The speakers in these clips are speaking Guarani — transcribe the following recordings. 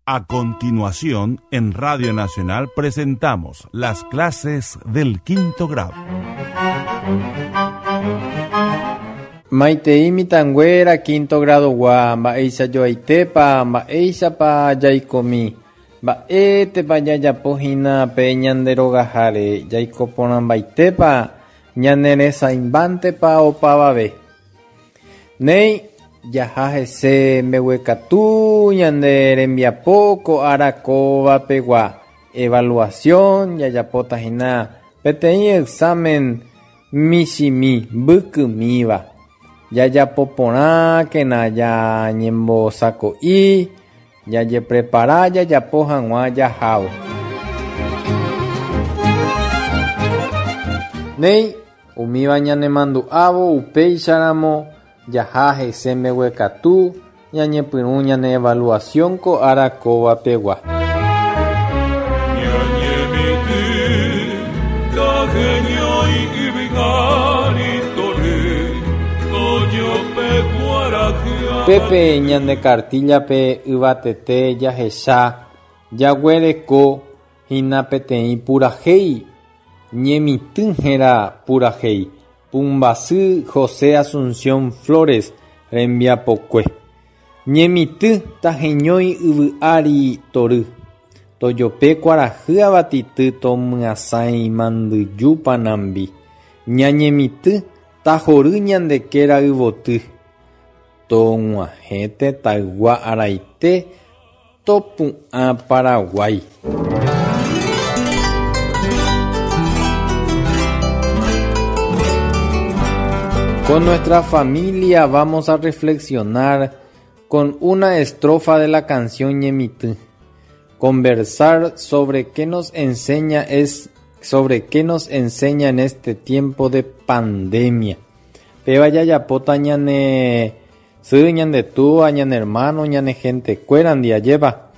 A continuación, en Radio Nacional presentamos las clases del quinto grado. Maitei mitãnguéra quinto grado-gua, mba'eichajoaitépa, mba'éichapa jaikomi, mba'étepa jajapohína pe ñande rogaháre, jaiko porãmbaitépa, ñaneresãimbántepa opavave. Néi, jaha hese mbeguekatu ñande rembiapo ko ára kóva pegua, evaluación, jajapóta hína peteĩ examen michĩmi, mbykymíva. Jajapo porãkena jañembosako'i, jajeprepara jajapo hag̃ua jahávo. Néi, Umíva ñanemandu'ávo upéicharamo jaha hese mbeguekatu ñañepyrũ ñane evaluación ko ára kóva pegua. Ñañemitỹ taheñói yvy ári tory, tojope kuarahy Pépe ñande kartíllape yvatete jahecha jaguereko hína peteĩ purahéi Ñemitỹ héra purahéi, pumbasy José Asunción Flores rembiapokue. Ñemitỹ taheñói yvy ári tory, tojope kuarahy avatity tomyasãi mandyju panambi. Ñañemitỹ tahory ñande kéra yvoty, tog̃uahẽ tetãygua araite Topu'ã Paraguái. Con nuestra familia vamos a reflexionar con una estrofa de la canción Ñemitỹ. Conversar sobre qué nos enseña es sobre qué nos enseña en este tiempo de pandemia. Péva jajapóta ñane Sy, ñande túva, ñane hermano, ñane gentekuérandi, ajépa?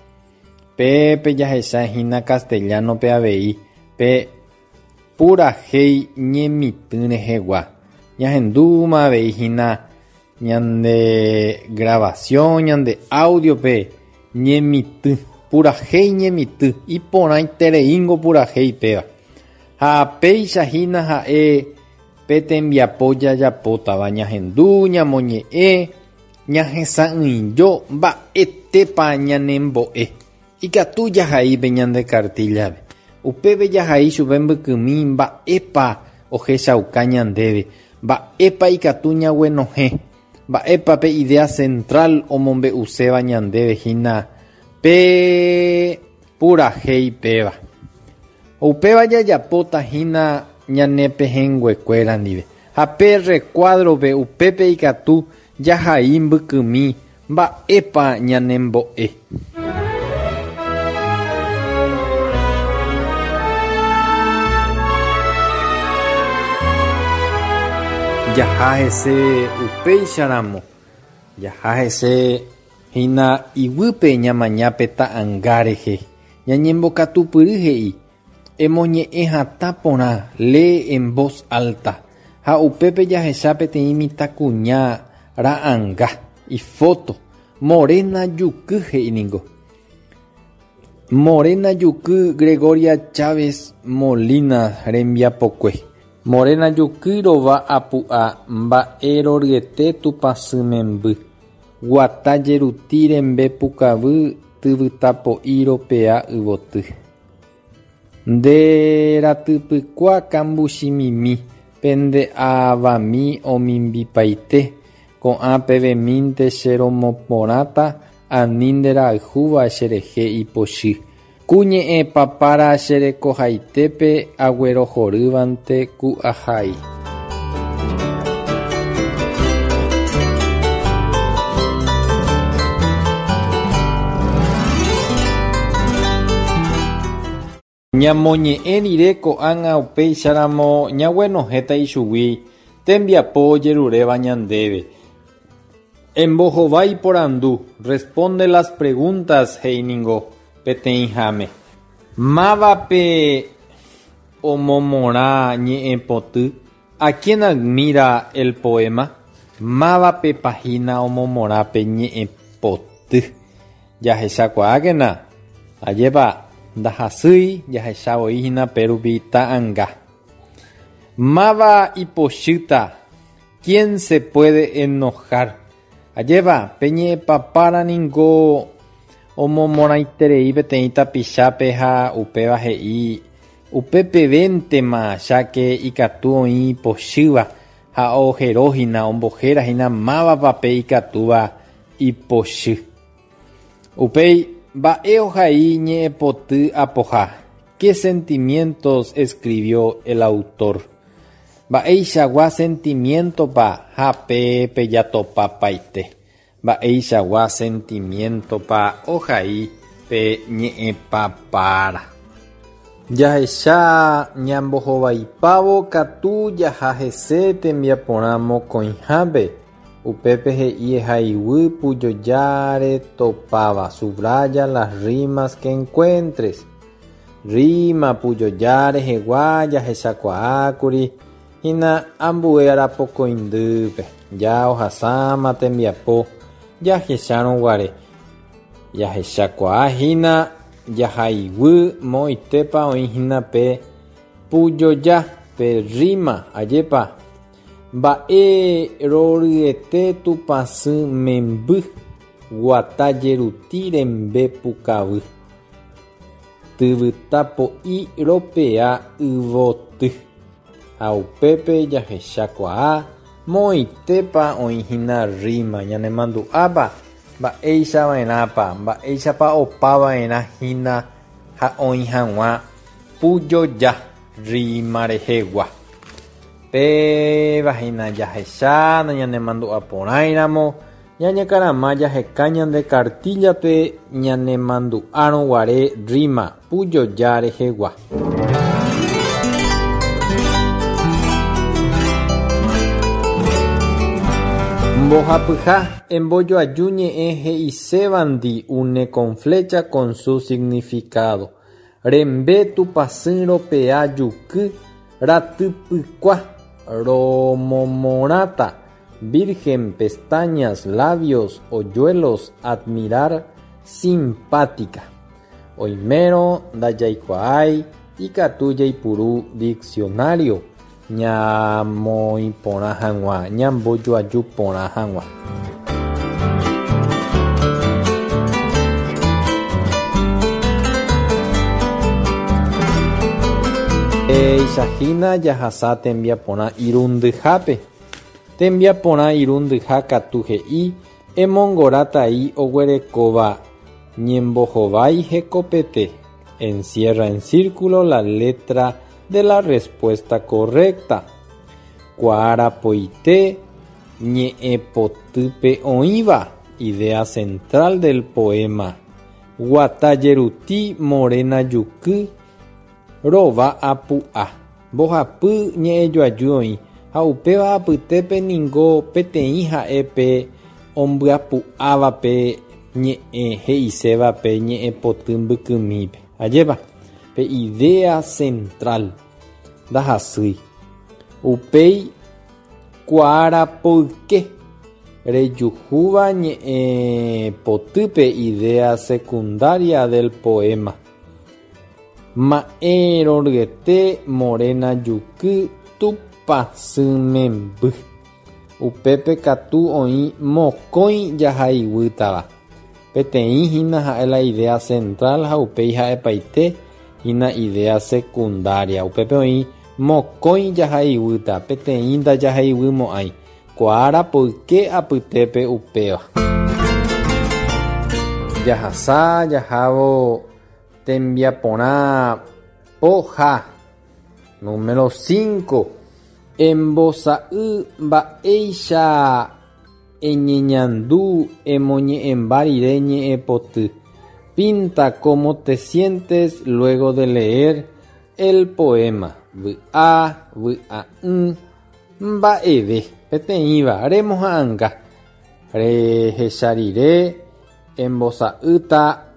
Pépe jahecha hína castellano-pe avei pe purahéi ñemitỹ rehegua. Ñahendúma avei hína ñande grabación, ñande audio-pe ñemitỹ, purahéi ñemitỹ, iporãitereíngo purahéi péva. Ha péicha hína ha'e Pe tembiapo jajapótava ñahendu, ñamoñe'ẽ, ñahesa'ỹijo mba'etépa ñanembo'e. Ikatu jahai pe ñande kartíllape. Upépe jahai chupe mbykymi mba'épa ohechauka ñandéve, mba'épa ikatu ñaguenohẽ, mba'épa pe idea central omombe'uséva ñandéve hína pe purahéi péva. Upéva jajapóta hína ñane pehẽnguekuéra ndive. Ha pe rrekuádrope upépe ikatu jahai mbykymi mba'épa ñanembo'e. Jaha hese upéicharamo, jaha hese hína iguýpe ñamaña pe ta'anga rehe. Ñañembokatupyry he'i, Emoñe'ẽ hatã porã, lee en voz alta, ha upépe jahecha peteĩ mitãkuña ra'anga, ifóto, Morena Juky he'i ningo. Morena Juky Gregoria Chávez Molina rembiapokue. Morena Juky rova apu'a mba'e roryete Tupãsy memby. Guata jeruti rembe pukavy tyvytapo'i ropea yvoty. Nde ratypykua kambuchimimi, pende avami omimbipaite, ko'ã pevemínte che romoporãta ani nde rayhúva cherehe ipochy. Ku ñe'ẽ papára che rekohaitépe aguerohorývante ku ahai. Ñamoñe'ẽ rire ko'ág̃a upéicharamo ñaguenohẽta ichugui tembiapo ojeruréva ñandéve. Embohovái porandu, Responde las preguntas, he'i ningo peteĩháme. Mávape omomorã ñe'ẽpoty? A quién admira el poema? Mávapepa hína omomorã pe ñe'ẽpoty? Jahechakuaákena, ajépa ndahasýi jahechavoíhína pérupi ta'anga. Máva ipochýta, Quién se puede enojar? Ajépa, pe ñe'ẽpapára ningo omomorãiterei peteĩ tapichápe ha upéva he'i upepevéntema cháke ikatu oĩ ipochýva ha oherohína, ombohérahína mávapa pe ikatúva ipochy. Upéi, mba'e ohai ñe'ẽpoty apoha? Qué sentimientos escribió el autor? Mba'eichagua sentimiento-pa ha pe pejatopapaite? Mba'eichagua sentimiento-pa ohai pe ñe'ẽpapára? Jahecha ñambohovaipávo katu jaha hese tembiaporã mokõihápe, upépe he'i ehaiguy pujojáre topáva, subraya las rimas que encuentres. Rima pujoja rehegua jahechakuaákuri hína ambue arapokõindýpe, ja ohasáma tembiapo jahechárõ guare. Jahechakuaa hína jahaiguy moõitépa oĩ hína pe pujoja, pe rima, ajépa mba'e roryete Tupãsy memby guata jeruti rembe pukavy. Tyvyta po'i ropea yvoty, ha upépe jahechakuaa moõitépa oĩhína rima ñanemandu'ápa mba'eichava'erãpa, mba'éichapa opava'erã hína ha oĩ hag̃ua pujoja rima rehegua. Péva hína jahecha nañanemandu'aporãiramo Ñañekarama jaheka ñande kartíllape ñanemandu'árõ guare rima pujoja rehegua. Mbohapyha, embojoaju ñe'ẽ he'isévandi une con flecha con su significado. Rembe Tupãsy ropea juky ratypykua romomorãta Virgen, pestañas, labios, hoyuelos, admirar, simpática. Oimérõ ndajaikuaái ikatu jaipuru diccionario ñamoĩ porã hag̃ua, ñambojoaju porã hag̃ua. Péicha hína jahasa tembiaporã irundyhápe. Tembiaporã irundyha katu he'i emongora tai oguerekóva ñembohovái hekopete, encierra en círculo la letra de la respuesta correcta. Kuaarapoite ñe'ẽpotýpe oĩva, idea central del poema. Guata jeruti morena juky Rova apu'a. Mbohapy ñe'ẽjoaju oĩ, ha upéva apytépe ningo peteĩ ha'e pe ombyapu'áva pe ñe'ẽ he'iséva pe ñe'ẽpoty mbykymípe. Ajépa, pe idea central ndahasýi. Upéi kuaarapoyke rejuhúva ñe'ẽpotýpe idea secundaria del poema. Ma'ẽ roryete morena juky Tupãsy memby. Upépe katu oĩ mokõi jahaiguýtava. Peteĩ hína ha'e la idea central ha upéi ha'epaite hína idea secundaria. Upépe oĩ mokõi jahaiguýta, peteĩ ndajahaiguymo'ãi. Ko ára poyke apytépe upéva. Jahasa jahávo tembiaporã poha. Número 5. Embosa'y mba'éicha eñeñandu emoñe'ẽmba rire ñe'ẽpoty. Pinta cómo te sientes luego de leer el poema. Vy'a, vy'a'ỹ. Mba'eve, peteĩva remoha'anga. Rehecha rire embosa'ýta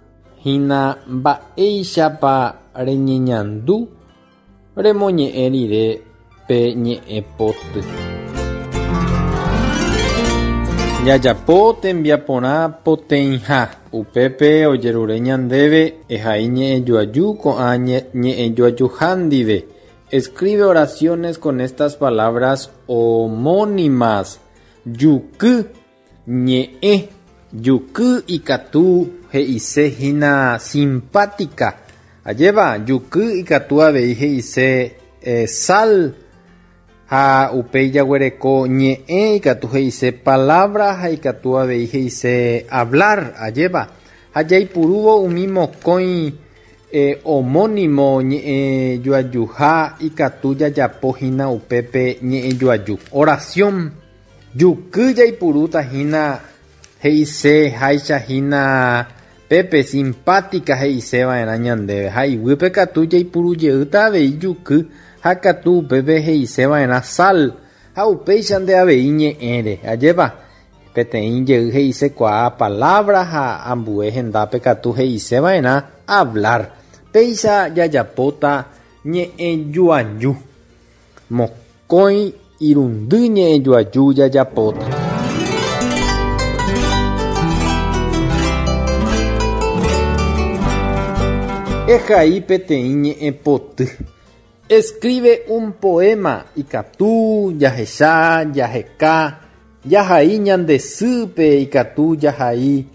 hína mba'éichapa reñeñandu remoñe'ẽ rire pe ñe'ẽ poty. Jajapo tembiaporã poteĩha, upépe ojerure ñandéve ehai ñe'ẽjoaju ko'ã ñe'ẽjoajuha ndive. Escribe oraciones con estas palabras homónimas, Juky, ñe'ẽ, juky ikatu he'ise hína simpática. Ajépa, juky ikatu avei he'ise sal. Ha upéi jaguereko ñe'ẽ ikatu he'ise palabra ha ikatu avei he'ise hablar, ajépa. Ha jaipurúvo umi mokõi homónimo ñe'ẽjoajuha ikatu jajapo hína upépe ñe'ẽjoaju, oración. Juky jaipurúta hína he'ise háicha hína pépe simpática he'ise va'erã ñandéve ha iguýpe katu jaipuru jeýta avei juky ha katu upépe he'ise va'erã sal ha upéichante avei ñe'ẽre. Ajépa? Peteĩ jey he'isekuaa palabra ha ambue hendápe katu he'ise va'erã hablar. Péicha jajapóta ñe'ẽjoaju. Mokõi irundy ñe'ẽjoaju jajapóta. Ehai peteĩ ñe'ẽpoty. Escribe un poema ikatu jahecha, jaheka, jahai ñande sýpe ikatu jahai,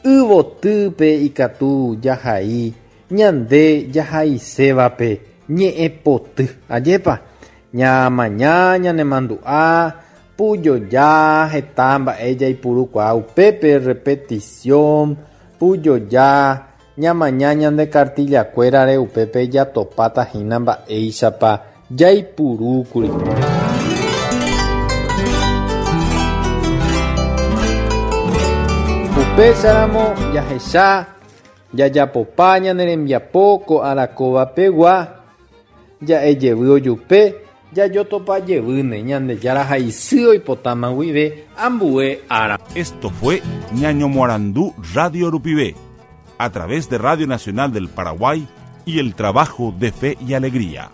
yvotýpe ikatu jahai, ñande jahaisévape ñe'ẽpoty. Ajépa? Ñamaña ñanemandu'a, pujoja, heta mba'e jaipurukuaa upépe, repetición, pujoja, ñamaña ñande kartillakuérare upépe jatopáta hína mba'éichapa jaipurúkuri. Upéicharamo jahecha Jajapopa ñane rembiapo ko arakóva pegua, ja'e jevy ojupe, jajotopa jevýne Ñandejára ha isy oipotáma guive ambue ára. Esto fue Ñañomoarandu Radio rupive, a través de Radio Nacional del Paraguay y el trabajo de Fe y Alegría.